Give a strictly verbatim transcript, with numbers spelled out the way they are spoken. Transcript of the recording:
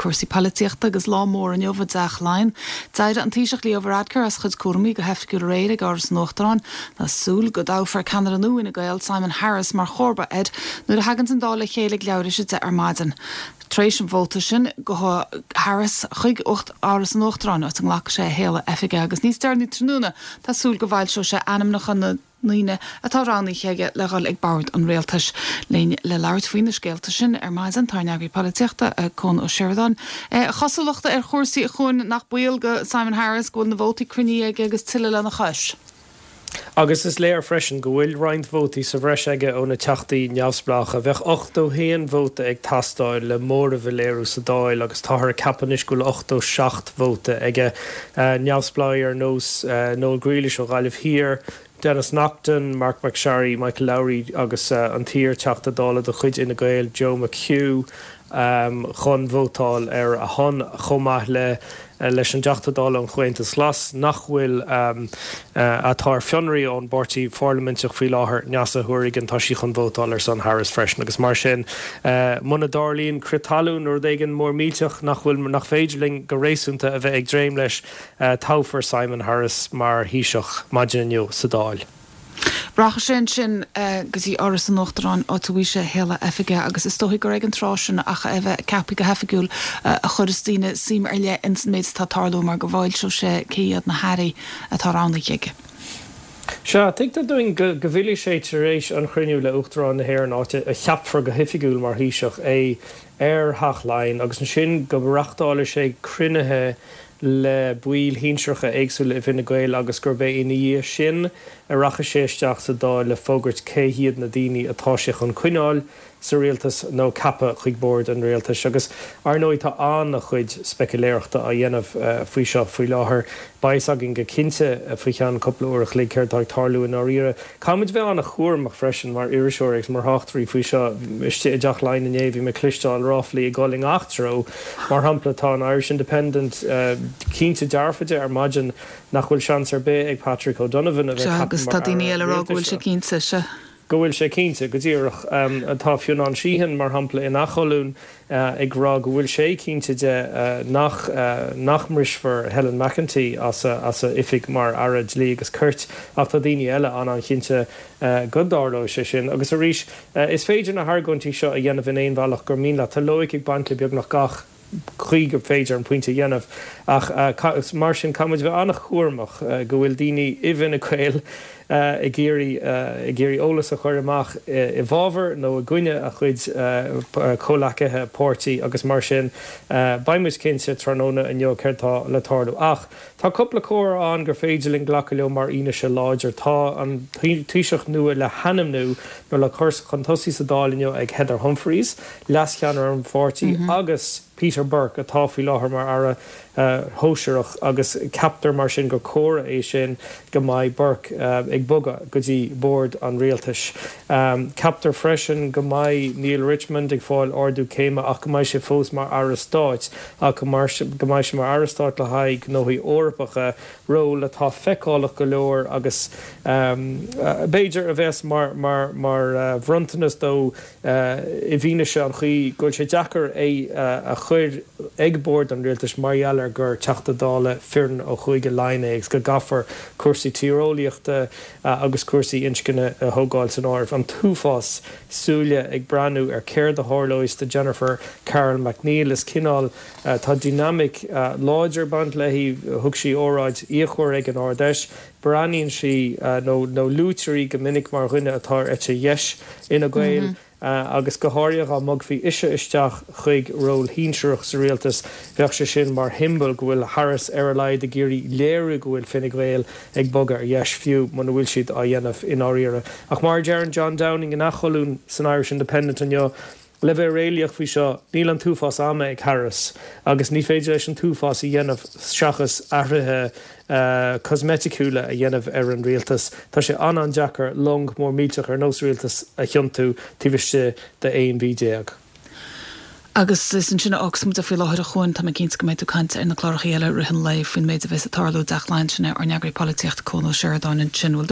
cúrsaí polaitíochta agus lá mór inniu i dTeach Laighean. D'éirigh an Taoiseach Leo Varadkar as a chuid cúraimí go hoifigiúil aréir ag Áras an Uachtaráin tá súil go dtoghfar ceannaire nua Fhine Gael Simon Harris mar chomharba air nuair a thagann an Dáil le chéile ag leathuair tar éis a deich ar maidin. Tar éis an vóta sin gabhfaidh Harris chuig Áras an Uachtaráin áit a nglacfaidh sé a shéala oifige agus níos deireanaí tráthnóna tá súil go bhfoilseoidh sé ainmneacha na ndaoine atá roghnaithe aige le dhul ag bord an rialtais. Linn le labhairt faoi na scéalta sin ar maidin tá ár n-eagraí polaitíochta Cuan Ó Seireadáin. Cosúlacht ar chúrsaí a Chuain nach baol go Simon Harris go bhfuil na vótaí cruinnithe aige agus tuilleadh lena chois. Agus is léir freisin go bhfuil roinnt vótaí sa bhreis aige ó na teachtaí neamhspleácha, bheadh ochtó haon vóta ag teastáil le móramh a léiriú sa Dáil agus táthar ag ceapadh anois go bhfuil ochtó seacht vóta aige neamhspleáigh ar nós Noel Grealish ó Ghaillimh Thiar, Denis Naughten, Marc MacSharry, Michael Lowry agus uh, an t-iar-Teachta Dála de chuid Fhine Gael Joe McHugh um, chun vótáil ar a shon chomh maith le uh, leis an dTeachta Dála an Chomhaontas Glas nach bhfuil um, uh, atá ar fionraí ón bpáirtí pharlaiminteach faoi láthair Neasa Hourigan tá sí chun vótáil ar son Harris freisin agus mar sin uh, muna dtarlaíonn crith talún nó rud éigin mór millteach nach bhfuil nach féidir linn go réasúnta a bheith ag dréim leis uh, toghfar Simon Harris mar Thaoiseach maidin inniu sa Dáil. Rachaidh sé ansin go dtí Áras an Uachtaráin áit a bhfaighidh sé a shéala oifige agus is dóigh gur ag an tráth sin ach é bheith ceaptha go hoifigiúil a chuirfeas daoine suim ar leith ins an méid atá ag tarlú mar go bhfoilseoidh sé cé hiad na hairí atá roghnaithe aige. Sea tuigtear dúinn go bhfillfidh sé tar éis an chruinniú le Uachtarán na hÉireann áit a cheapfar go hoifigiúil mar Thaoiseach é ar Theach Laighean agus ansin go reáchtálfaidh sé cruinnithe le baill shinsearacha éagsúla i bhFine Gael agus gurb é ina dhiaidh sin a rachaidh sé isteach sa Dáil le fógairt cé hiad na daoine atá sé chun coinneáil sa rialtas nó ceapadh chuig bord an rialtais agus ar ndóigh tá an-chuid speiciléireachta á dhéanamh uh, faoi seo faoi láthair beidh againn go cinnte uh, faoi cheann cúpla uair an chloig céard atá ag tarlú i ndáiríre. Caithfimid bheith an-chúramach freisin mar iriseoir agus mar thráchtairí faoi seo istigh i dTeach Laighean inné bhí mé ag cloisteáil ráflaí ag dul i ngach treo mar shampla tá an Irish Independent uh, cinnte dearfa de ar maidin nach bhfuil seans ar bith ag Patrick O'Donovan a bheith agus tá daoine eile rá go bhfuil sé cinnte se. go bhfuil sé cinnte go díreach um, atá Fionnán Sheehan mar shampla ina cholún uh, ag rá go bhfuil sé cinnte de uh, nach uh, nach mbrisfear Helen McEntee as a, as a oifig mar Aire Dlí agus Cirt ach tá daoine eile an-chinnte uh, go dtarlóidh sé sin agus arís uh, is féidir na hargóintí seo a dhéanamh in aon bhealach gur mian leat tá loighic ag baint le beagnach gach chaoi gur féidir an pointe dhéanamh ach uh, mar sin caithfimid bheith an-chúramach uh, go bhfuil daoine i bhFine Gael uh, ag iarraidh uh, ag iarraidh eolas a chur amach i bhfabhar nó i gcoinne a chuid uh, comhghleacaithe páirtí agus mar sin uh, beimid cinnte tráthnóna inniu céard atá le tarlú ach tá cúpla comhartha ann gur féidir linn glacadh leo mar fhianaise láidir tá an Taoiseach nua le hainmniú nó le cur chun tosaigh sa Dáil inniu ag Heather Humphreys leascheannaire an pháirtí mm -hmm. agus Peter Burke atá faoi láthair mar aire uh, sóisearach agus ceaptar mar sin gur comhartha é sin go mbeidh Burke uh, ag bogadh go dtí bord an rialtais. Um, Ceaptar freisin go mbeidh Neale Richmond ag fáil ardú céime ach go mbeidh sé fós mar aire stáit ach go mbeidh sé mar aire stáit le haghaidh gnóthaí Eorpacha ról atá feiceálach go leor agus um, uh, b'fhéidir a bheas mar mar mar uh, bhronntanas dó uh, i bhfianaise an chaoi go bhfuil sé deacair é uh, a chur ag bord an rialtais mar gheall ar gur Teachta Dála fireann ó Chúige Laighean é agus go gcaithfear cúrsaí tíreolaíochta uh, agus cúrsaí inscne a thógáil san áireamh an t-uafás súile ag breathnú ar céard a tharlós do Jennifer Carroll MacNeill is cineál uh, tá dynamic uh, láidir baint léi thug sí óráid fhíochmhar ag an Ard-Fheis, breathnaíonn sí uh, nó nó luaitear í go minic mar dhuine atá ar eite dheis Fhine Gael. Mm -hmm. Uh, agus go háirithe dá mbogfaí ise isteach chuig ról shinsearach sa rialtas bheadh sé sin mar shiombail go bhfuil Harris ar a laghad ag iarraidh léiriú go bhfuil Fine Gael ag bogadh ar dheis fiú muna bhfuil siad á dhéanamh i ndáiríre. Ach mar a deir John Downing ina cholún san Irish Independent inniu, le bheith réalaíoch faoi seo níl an t-uafás ama ag Harris agus ní féidir leis an t-uafás a dhéanamh seachas athruithe uh, cosmaiticiúla a dhéanamh ar an rialtas. Tá sé an-an-deacair long mór millteach ar nós rialtas a thiontú taobh istigh de aon mhí déag. Agus is ansin a fhágfaimid faoi láthair a Chuain tá mé cinnte go mbeidh tú ag caint ar na cláracha eile i rith an lae faoin méid a bheas ag tarlú i dTeach Laighean sin ár n-eagraí polaitíochta Cuan Ó Seireadáin ansin.